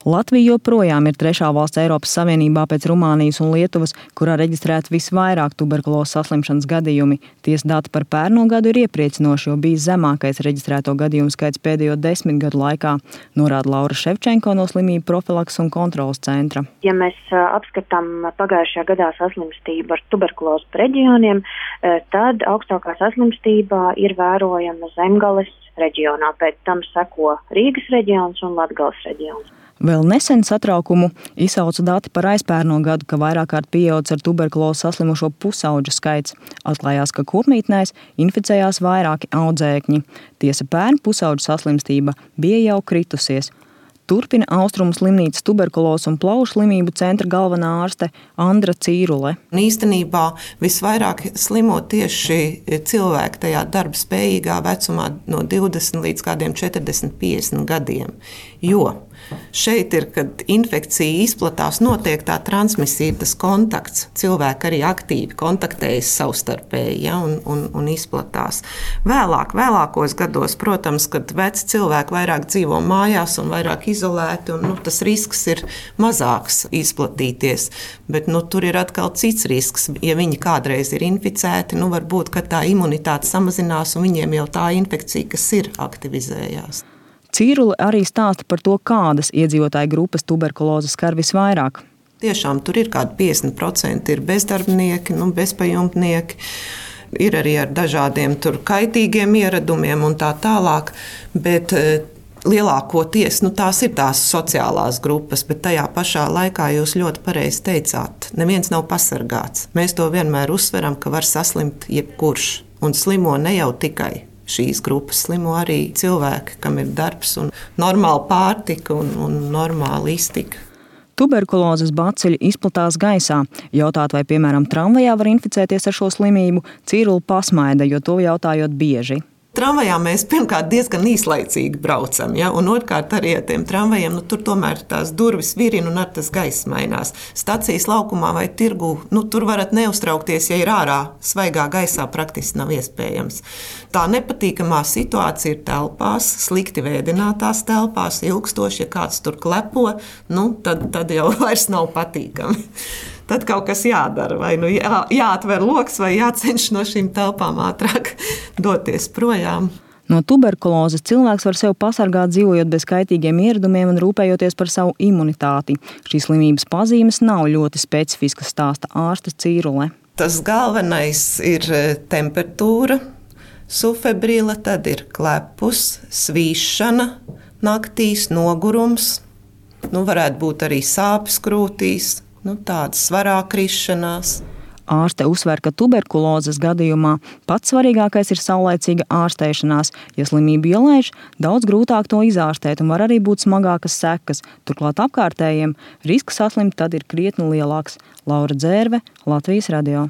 Latvija joprojām ir trešā valsts Eiropas Savienībā pēc Rumānijas un Lietuvas, kurā reģistrēti visvairāk tuberkulozes saslimšanas gadījumi. Tiesa dati par pērno gadu ir iepriecinoši, jo bijis zemākais reģistrēto gadījumu skaits pēdējo 10 gadu laikā, norāda Laura Ševčenko no Slimību profilakses un kontroles centra. Ja mēs apskatām pagājušajā gadā saslimstību ar tuberkulozi pa reģioniem, tad augstākā saslimstība ir vērojama Zemgales reģionā, pēc tam seko Rīgas reģions un Latgales reģions. Vēl nesen satraukumu izsauca dati par aizpērno gadu, ka vairāk kārt pieaudzis ar tuberkulozi saslimušo pusauģu skaits. Atklājās, ka kopmītnēs inficējās vairāki audzēkņi. Tiesa pērn pusauģu saslimstība bija jau kritusies. Turpina Austrumu slimnīcas tuberkulozes un plaušu slimību centra galvenā ārste Andra Cīrule. Īstenībā visvairāk slimo tieši cilvēki tajā darba spējīgā vecumā no 20 līdz kādiem 40-50 gadiem, jo šeit ir, kad infekcija izplatās, notiek tā transmisija, tas kontakts. Cilvēki arī aktīvi kontaktējas savstarpēji, un izplatās. Vēlākos gados, protams, kad veci cilvēki vairāk dzīvo mājās un vairāk izolēti, un tas risks ir mazāks izplatīties. Bet tur ir atkal cits risks. Ja viņi kādreiz ir inficēti, varbūt, ka tā imunitāte samazinās un viņiem jau tā infekcija, kas ir, aktivizējās. Cīrule arī stāsta par to, kādas iedzīvotāju grupas tuberkulozi skar visvairāk. Tiešām tur ir kādi 50% ir bezdarbnieki, bezpajumtnieki, ir arī ar dažādiem kaitīgiem ieradumiem un tā tālāk, bet lielākoties tās ir tās sociālās grupas, bet tajā pašā laikā jūs ļoti pareizi teicāt, neviens nav pasargāts. Mēs to vienmēr uzsveram, ka var saslimt jebkurš, un slimo ne jau tikai šīs grupas, slimo arī cilvēki, kam ir darbs un normāla pārtika un normāla iztika. Tuberkulozes bacili izplatās gaisā. Jautāt, vai, piemēram, tramvajā var inficēties ar šo slimību, Cīrule pasmaida, jo to jautājot bieži. Tramvajā mēs pirmkārt diezgan īslaicīgi braucam, un otrkārt arī ar tiem tramvajiem, tur tomēr tās durvis virina un ar tas gaiss mainās. Stacijas laukumā vai tirgu, tur varat neuztraukties, ja ir ārā svaigā gaisā, praktiski nav iespējams. Tā nepatīkamā situācija ir telpās, slikti vēdinātās telpās, ilgstoši, ja kāds tur klepo, tad jau vairs nav patīkami. Tad kaut kas jādara, vai jāatver loks, vai jācenš no šīm telpām ātrāk doties projām. No tuberkulozes cilvēks var sev pasargāt, dzīvojot bez kaitīgiem ieradumiem un rūpējoties par savu imunitāti. Šīs slimības pazīmes nav ļoti specifiskas, stāsta ārste Cīrule. Tas galvenais ir temperatūra, sufebrila, tad ir klepus, svīšana, naktīs nogurums, varētu būt arī sāpes krūtīs. Tādas svarā krišanās. Ārste uzsver, ka tuberkulozes gadījumā pats svarīgākais ir saulaicīga ārstēšanās. Ja slimību ielaiž, daudz grūtāk to izārstēt un var arī būt smagākas sekas. Turklāt apkārtējiem risks saslimt tad ir krietni lielāks. Laura Dzērve, Latvijas radio.